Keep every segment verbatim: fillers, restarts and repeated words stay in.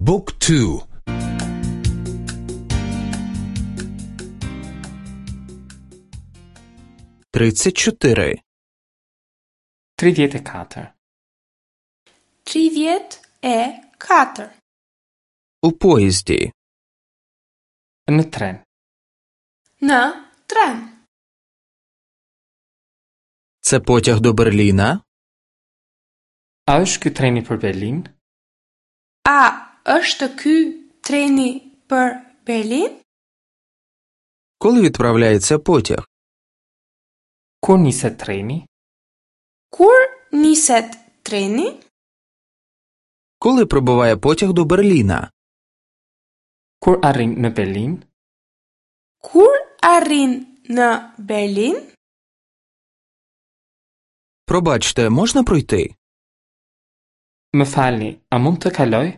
Book two. Тридцять чотири. Tridhjetë e katër. Tridhjetë e katër. У поїзді. Në tren. Në tren. Це потяг до Берліна? A është ky treni për Berlin? A është ky treni për Berlin? Коли відправляється потяг? Kur niset treni? Kur niset treni? Коли прибуває потяг до Берліна? Kur arrin në Berlin? Kur arrin në Berlin? Пробачте, можна пройти? Më falni, a mund të kaloj?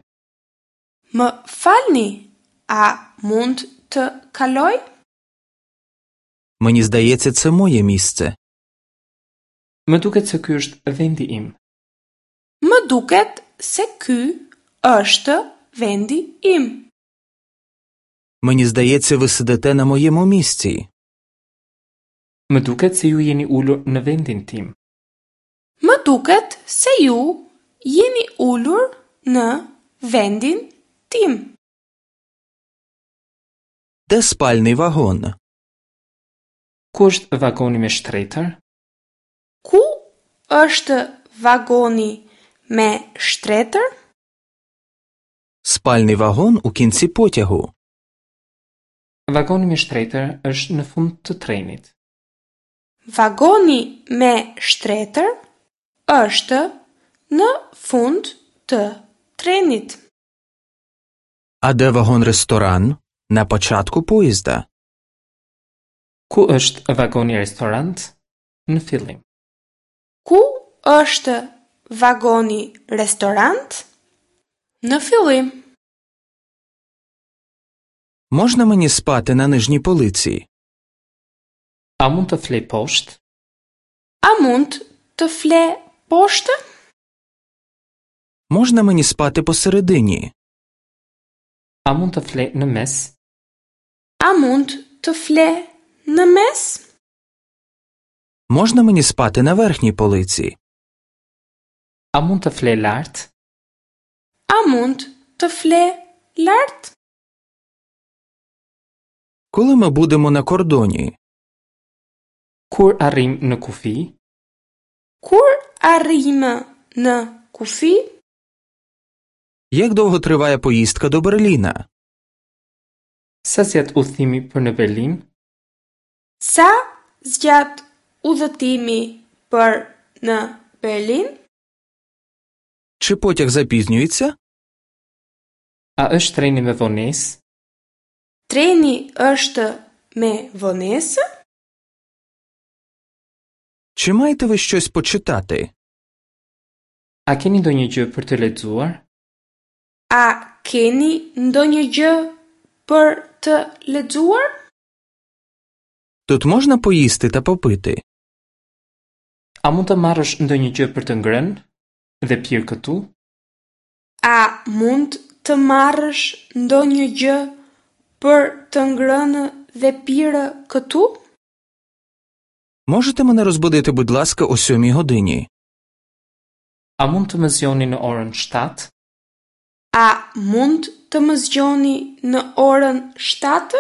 Më falni, a mund të kaloj? Мені здається, це моє місце. Më duket se ky është vendi im. Më duket se ky është vendi im. Мені здається, ви сидите на моєму місці. Më duket se ju jeni ulur në vendin tim. Më duket se ju jeni ulur në vendin tim. Де спальний вагон? Ku është vagoni me shtretër? Ku është vagoni me shtretër? Спальний вагон у кінці потягу. Vagoni me shtretër është në fund të trenit. Vagoni me shtretër është në fund të trenit. А де вагон-ресторан? На початку поїзда. Ku është vagoni restorant? Në fillim. Ku është vagoni restorant? Në fillim. Можна мені спати на нижній полиці? A mund të flej poshtë? A mund të fle poshtë? Можна мені спати посередині? A mund të flej në mes? A mund të fle në mes? Можна мені спати на верхній полиці? A mund të flej lart? A mund të fle lart? Коли ми будемо на кордоні? Kur arrim në kufi? Kur arrijmë në kufi? Як довго триває поїздка до Берліна? Sa zgjat udhëtimi për në Berlin? Sa zgjat udhëtimi për në Berlin? Чи потяг запізнюється? A është treni me vonesë? Treni është me vonesë? Чи маєте ви щось почитати? A keni ndonjë gjë për të lexuar? A keni ndonjë gjë për të lexuar? Тут можна поїсти та попити? A mund të marrësh ndonjë gjë për të ngrënë dhe pirë këtu? A mund të marrësh ndonjë gjë për të ngrënë dhe pirë këtu? Можете мене розбудити, будь ласка, о сьомій годині? A mund të më zgjoni në orën shtatë? A mund të më zgjoni në orën shtatë?